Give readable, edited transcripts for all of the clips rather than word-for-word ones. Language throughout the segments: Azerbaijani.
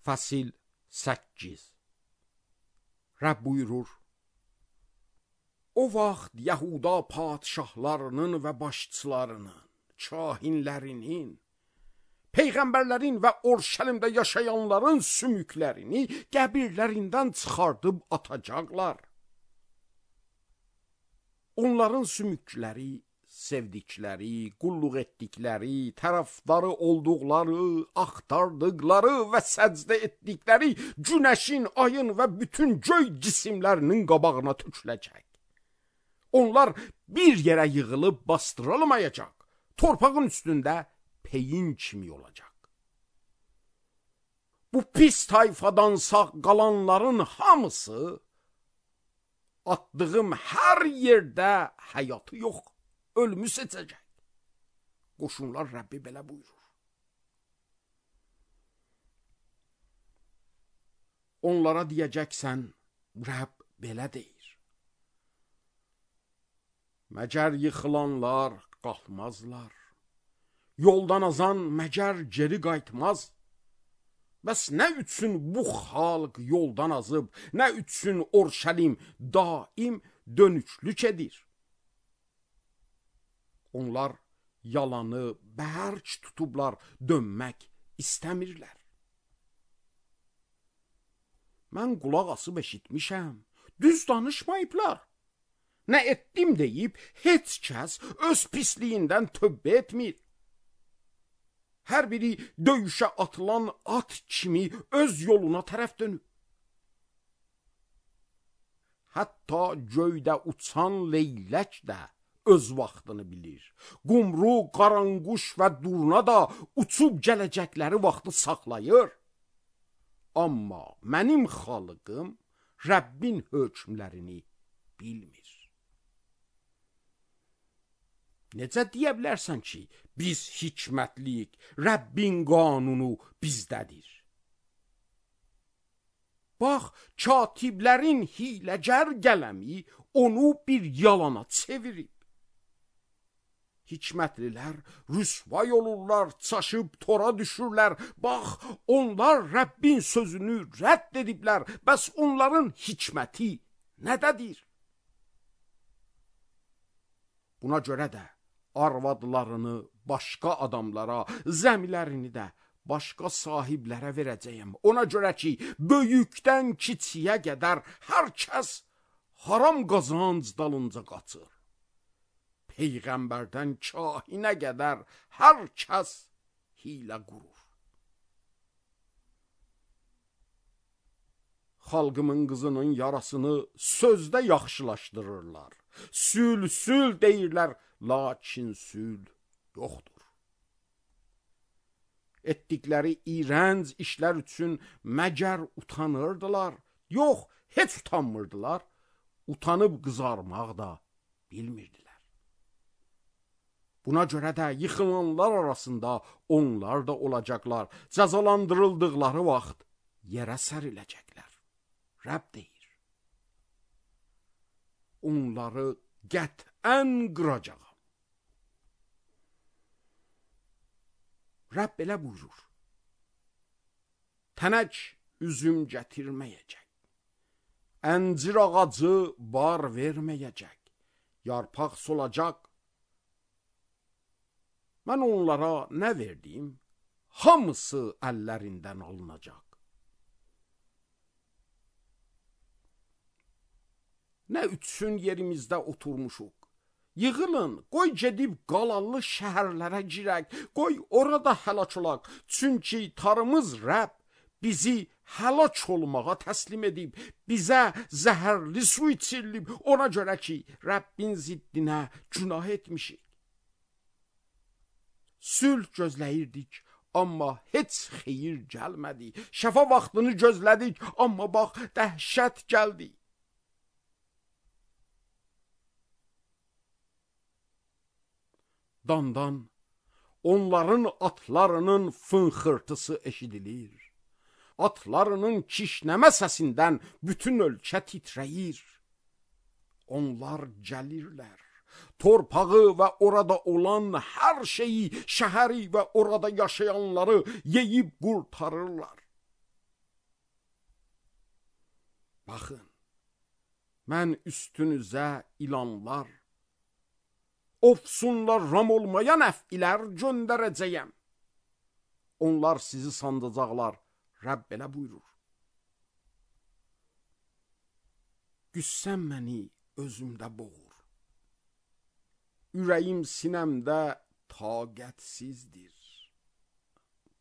Fəsil 8. Rəbb buyurur: O vaxt Yahuda padşahlarının və başçılarının, kahinlərinin, peyğəmbərlərin və Orşəlimdə yaşayanların sümüklərini qəbirlərindən çıxardıb atacaqlar. Onların sümükləri, sevdikləri, qulluq etdikləri, tərəfdarı olduqları, axtardıqları və səcdə etdikləri günəşin, ayın və bütün göy cisimlərinin qabağına töküləcək. Onlar bir yerə yığılıb bastırılmayacaq, torpağın üstündə peyin kimi olacaq. Bu pis tayfadan sağ qalanların hamısı atdığım hər yerdə həyatı yox, ölümü seçəcək. Qoşunlar Rəbbi belə buyurur. Onlara deyəcəksən, Rəbb belə deyir: Məgər yıxılanlar qalxmazlar, yoldan azan məgər geri qayıtmaz. Bəs nə üçün bu xalq yoldan azıb, nə üçün Orşəlim daim dönüklük edir? Onlar yalanı bərk tutublar, dönmək istəmirlər. Mən qulaq asıb eşitmişəm, düz danışmayıblar. Nə etdim deyib, heç kəs öz pisliyindən tövbə etmir. Hər biri döyüşə atılan at kimi öz yoluna tərəf dönüb. Hətta göydə uçan leylək də öz vaxtını bilir. Qumru, qaranquş və durna da uçub gələcəkləri vaxtı saxlayır. Amma mənim xalqım Rəbbin hökmlərini bilmir. Necə deyə bilərsən ki, biz hikmətliyik, Rəbbin qanunu bizdədir? Bax, katiblərin hiləgər qələmi onu bir yalana çevirib. Hikmətlilər rüsvay olurlar, çaşıb tora düşürlər. Bax, onlar Rəbbin sözünü rədd ediblər. Bəs onların hikməti nədədir? Buna görə də arvadlarını başqa adamlara, zəmilərini də başqa sahiblərə verəcəyəm. Ona görə ki, böyükdən kiçiyə qədər hər kəs haram qazanc dalınca qaçır. Peyğəmbərdən kahinə qədər hər kəs hilə qurur. Xalqımın qızının yarasını sözdə yaxşılaşdırırlar. Sül, sül deyirlər, lakin sül yoxdur. Etdikləri iğrənc işlər üçün məgər utanırdılar? Yox, heç utanmırdılar. Utanıb qızarmaq da bilmirdilər. Buna görə də yıxılanlar arasında onlar da olacaqlar. Cəzalandırıldıqları vaxt yerə səriləcəklər. Rəbb deyir: onları qətən qıracağam. Rəbb belə buyurur: tənək üzüm gətirməyəcək, əncir ağacı bar verməyəcək, yarpaq solacaq. Mən onlara nə verdim? Hamısı əllərindən alınacaq. Nə üçün yerimizdə oturmuşuq? Yığılın, qoy gedib qalanlı şəhərlərə girək, qoy orada həlak olaq. Çünki tarımız Rəbb bizi həlak olmağa təslim edib, bizə zəhərli su içirilib. Ona görə ki, Rəbbin ziddinə günah etmişik. Sülh gözləyirdik, amma heç xeyir gəlmədi. Şəfa vaxtını gözlədik, amma bax, dəhşət gəldi. Dandan onların atlarının fınxırtısı eşidilir. Atlarının kişnəmə səsindən bütün ölkə titrəyir. Onlar gəlirlər. Torpağı və orada olan hər şeyi, şəhəri və orada yaşayanları yeyib qurtarırlar. Baxın, mən üstünüzə ilanlar, ofsunlar ram olmayan əfilər göndərəcəyəm. Onlar sizi sandacaqlar, Rəbb belə buyurur. Qüssəm məni özümdə boğur. Ürəyim sinəmdə taqətsizdir.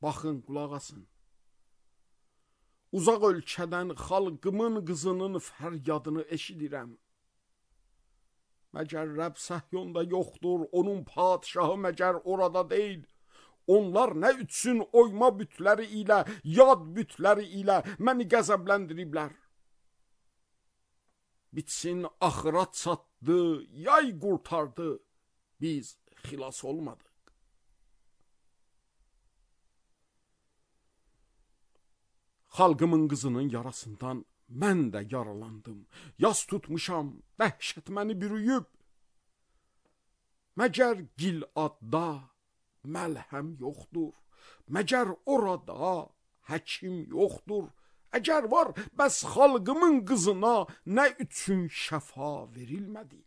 Baxın, qulaq asın. Uzaq ölkədən xalqımın qızının fəryadını eşidirəm. Məgər Rəbb Səhyonda yoxdur, onun padişahı məgər orada deyil. Onlar nə üçün oyma bütləri ilə, yad bütləri ilə məni qəzəbləndiriblər? Bitsin, axırat çatdı, yay qurtardı, biz xilas olmadıq. Xalqımın qızının yarasından mən də yaralandım. Yas tutmuşam, dəhşət məni bürüyüb. Məgər Giladda məlhəm yoxdur, məgər orada həkim yoxdur. Əgər var, bəs xalqımın qızına nə üçün şəfa verilmədi?